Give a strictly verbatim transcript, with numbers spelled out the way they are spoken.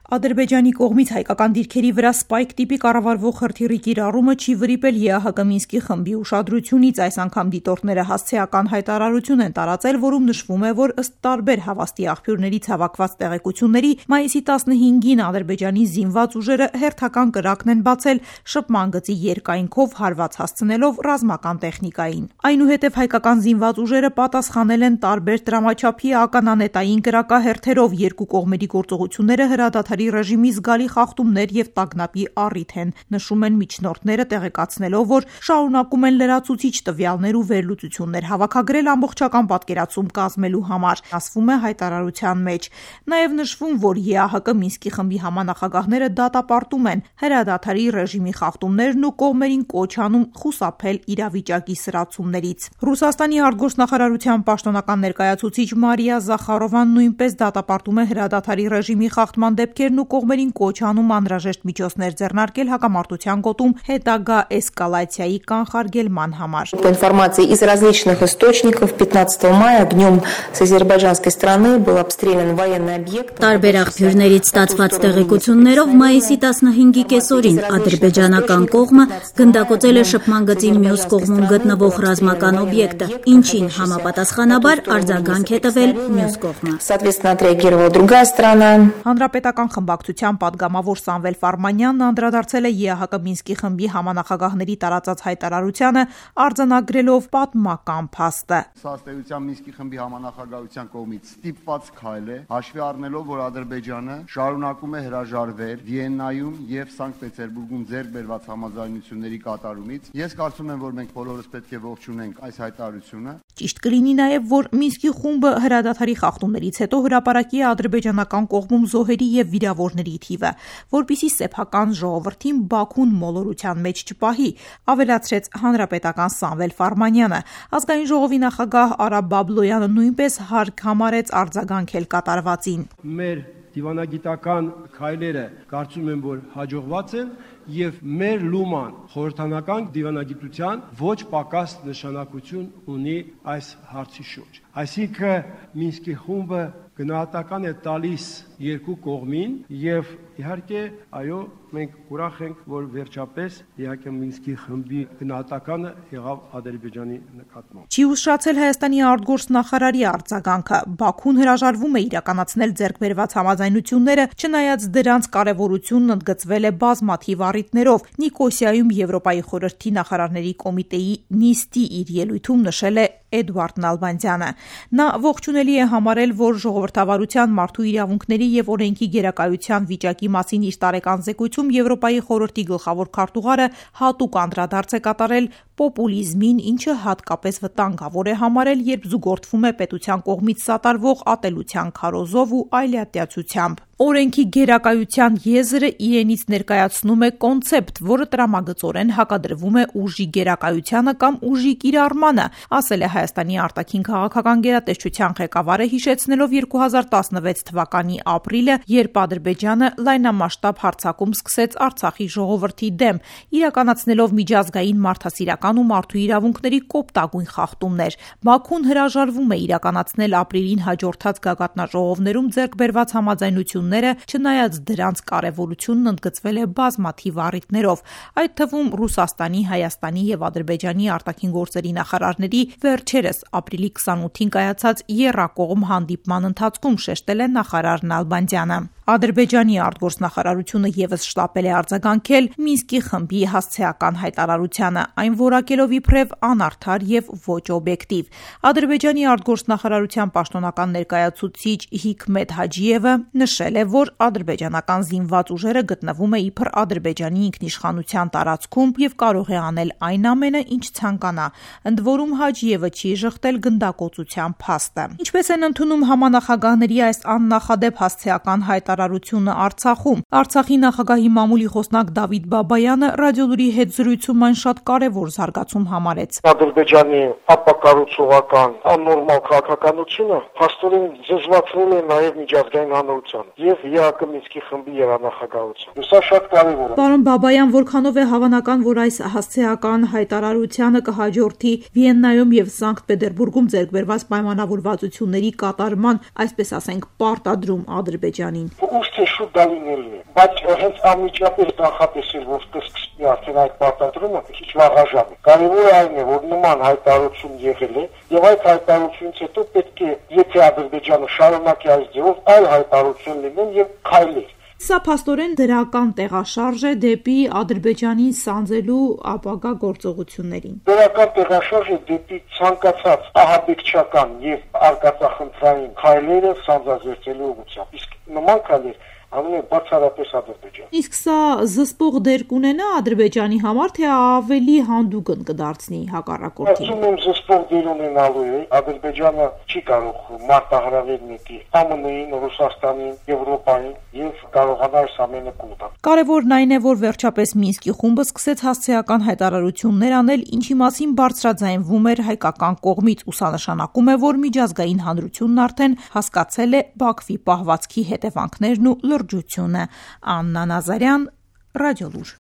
Ադրբեջանի կողմից հայկական դիրքերի վրա սպայք տիպի կառավարվող հրթիռի կիրառումը չի վրիպել ԵԱՀԿ Մինսկի խմբի ուշադրությունից։ Այս անգամ դիտորդները հասցեական հայտարարություն են տարածել, որում նշվում է, որ ըստ տարբեր հավաստի աղբյուրներից հավաքված տեղեկությունների մայիսի տասնհինգին Ադրբեջանի զինված ուժերը հերթական կրակն են բացել շփման գծի երկայնքով հարված հասցնելով ռազմական տեխնիկային։ Այնուհետև հայկական զինված ուժերը պատասխանել են տարբեր դրամաչափի ականանետային կրակահերթերով։ Երկու կողմերի գործողությունները հրադադարի ռեժիմի զգալի խախտումներ եւ տագնապի առիթ են, նշում են միջնորդները, տեղեկացնելով, որ շարունակում են լրացուցիչ տվյալներ ու վերլուծություններ հավաքագրել ամբողջական պատկերացում կազմելու համար, ասվում է հայտարարության մեջ։ Նաեւ նշվում, որ ԵԱՀԿ Մինսկի խմբի համանախագահները դատապարտում են հրադադարի ռեժիմի խախտումներն ու կողմերին կոչ անում խուսափել իրավիճակի սրացումներից։ Ռուսաստանի արտգործնախարարության պաշտոնական ներկայացուցիչ Մարիա Զախարովան նույնպես դատապարտում է հրադադարի ռեժիմի խախտման դեպքերն ու կողմերին կոչ անում անհրաժեշտ միջոցներ ձեռնարկել հակամարտության գոտում հետագա էսկալացիայի կանխարգելման համար։ По информации из различных источников, пятнадцатого мая днем с азербайджанской стороны был обстрелян военный объект. Տարբեր աղբյուրներից ստացված տեղեկություններով մայիսի տասնհինգի կեսօրին ադրբեջանական կողմը գնդակոծել է շփման գծի մյուս կողմում գտնվող ռազմական օբյեկտը, ինչին համապատասխանաբար արձագանք է տվել մյուս կողմը։ Соответственно, отреагировала другая сторона. Հանրապետական խմբակցության падգամավոր Սամվել Ֆարմանյանն անդրադարձել է ԵԱՀԿ Մինսկի խմբի համանախագահների տարածած հայտարարությանը, արձանագրելով պատմական փաստը։ Սա ըստ էության Մինսկի խմբի համանախագահության կողմից ստիպված քայլ է, հաշվի առնելով, որ Ադրբեջանը շարունակում է հրաժարվել Վիեննայում եւ Սանկտ Պետերբուրգում ձեռք բերված համաձայնությունների կատարումից։ Ես կարծում եմ, որ մենք բոլորս պետք է ողջունենք այս հայտարարությունը։ Ճիշտ կլինի նաև, որ Մինսկի խումբը հրադադարի խախտումներից հետո հրապարակի է ադրբեջանական կողմում զոհերի եւ վիրավորների թիվը, որպիսի սեփական ժողովրդին Բաքուն մոլորության մեջ չպահի, ավելացրեց հանրապետական Սամվել Ֆարմանյանը։ Ազգային ժողովի նախագահ Արա Բաբլոյանը նույնպես հարկ համարեց արձագանքել կատարվածին։ Մեր դիվանագիտական քայլերը կարծում եմ, որ հաջողված են եւ մեր լուման խորհրդանական դիվանագիտության ոչ պակաս նշանակություն ունի այս հարցի շուրջ։ Այսինքն Մինսկի խումբը գնահատական է տալիս երկու կողմին եւ իհարկե այո մենք ուրախ ենք որ վերջապես իհարկե Մինսկի խմբի գնահատականը եղավ Ադրբեջանի նկատմամբ։ Չի ուշացել Հայաստանի արտգործնախարարի արձագանքը։ Բաքուն հրաժարվում է իրականացնել ձեռքբերված համաձայնությունները, չնայած դրանց կարևորությունն ընդգծվել է բազմաթիվ առիթներով։ Նիկոսիայում Եվրոպայի խորհրդի նախարարների կոմիտեի նիստի իր ելույթում նշել է Էդուարդ Նալբանդյանը։ Նա ողջունելի է համարել, որ ժողովրդավարության, մարդու իրավունքների եւ օրենքի գերակայության վիճակի մասին իր տարեկան զեկույցում Եվրոպայի խորհրդի գլխավոր քարտուղարը հատուկ անդրադարձ է կատարել պոպուլիզմին, ինչը հատկապես վտանգավոր է համարել, երբ զուգորդվում է պետության կողմից սատարվող ատելության քարոզով ու այլատյացությամբ։ Օրենքի գերակայության եզրը իրենից ներկայացնում է կոնցեպտ, որը տրամագծորեն հակադրվում է ուժի գերակայությանը կամ ուժի կիրառմանը, ասել է Հայաստանի արտաքին քաղաքական գերատեսչության ղեկավարը, հիշեցնելով երկու հազար տասնվեց թվականի ապրիլը, երբ Ադրբեջանը լայնամասշտաբ հարձակում սկսեց Արցախի ժողովրդի դեմ, իրականացնելով միջազգային մարդասիրական ու մարդու իրավունքների կոպտագույն խախտումներ։ Բաքուն հրաժարվում է իրականացնել ապրիլին հաջորդած գագաթնաժողովներում ձեռք բերված համաձայնություն չնայած դրանց կարևորությունն ընդգծվել է բազմաթիվ առիթներով, այդ թվում Ռուսաստանի, Հայաստանի եւ Ադրբեջանի արտաքին գործերի նախարարների վերջերս ապրիլի քսանութին կայացած եռակողմ հանդիպման ընթացքում, շեշտել է նախարար Նալբանդյանը։ Ադրբեջանի արտգործնախարարությունը եւս շտապել է արձագանքել Մինսկի խմբի հասցեական հայտարարությանը, այն որակելով իբրև անարդար եւ ոչ օբյեկտիվ։ Ադրբեջանի արտգործնախարարության պաշտոնական ներկայացուցիչ Հիկմետ Հաջիևը նշել է, որ ադրբեջանական զինված ուժերը գտնվում է իբր Ադրբեջանի ինքնիշխանության տարածքում եւ կարող է անել այն ամենը, ինչ ցանկանա։ Ընդ որում Հաջիևը չի ժխտել գնդակոծության փաստը։ Ինչպես են ընդունում համանախագահների այս աննախադեպ հասցեական հայտարարությունը Արցախում։ Արցախի նախագահի մամուլի խոսնակ Դավիթ Բաբայանը ռադիոլուրի հետ զրույցում այն շատ կարևոր զարգացում համարեց։ Ադրբեջանի ապակառուցողական աննորմալ քաղաքականությունը փաստորեն զզվացրել է նաև միջազգային հանրության եւ ԵԱՀԿ Մինսկի խմբի երանախագահության։ Սա շատ կարևոր է։ Պարոն Բաբայան, որքանով է հավանական, որ այս հասցեական հայտարարությանը կհաջորդի Վիեննայում եւ Սանկտ Պետերբուրգում ձեռք բերված պայմանավորվածությունների կատարման, այսպես ասենք, պարտադրում Ադրբեջանին։ ուշ թե շուտ դա լինելու է, բայց հենց անմիջապես նախատեսել, որ կսկսի արդեն այդ պարտադրումը քիչ վաղաժամ է։ Կարևորը այն է, որ նման հայտարարություն եղել է, եւ այդ հայտարարությունից հետո պետք է, եթե Ադրբեջանը շարունակի այս ձևով, այլ հայտարարություն լինեն եւ քայլեր։ Սա փաստորեն դրական տեղաշարժ է դեպի Ադրբեջանին սանձելու ապագա գործողություններին։ Դրական տեղաշարժ է դեպի ցանկացած ահաբեկչական եւ արկածախնդրային քայլերը սանձազերծելու ուղղությամբ։ Իսկ նման քայլեր անում է բացառապես Ադրբեջանը։ Իսկ սա զսպող դեր կունենա Ադրբեջանի համար, թե ավելի հանդուգն կդարձնի հակառակորդին։ Ասում եմ, զսպող դեր ունենալու է։ Ադրբեջանը չի կարող մարտահրավեր նետի Ամն-ին, Ռուսաստանին, Եվրոպային եւ կարողանա այս ամենը կուտալ։ Կարևորն այն է, որ վերջապես Մինսկի խումբը սկսեց հասցեական հայտարարություններ անել, ինչի մասին բարձրաձայնվում էր հայկական կողմից, ուսանշանակում է, որ միջազգային հանրությունն արդեն հասկացել է Բաքվի պահվածքի հետևանքներն ու լրջությունը։ Աննա Նազարյան, Ռադիոլուր։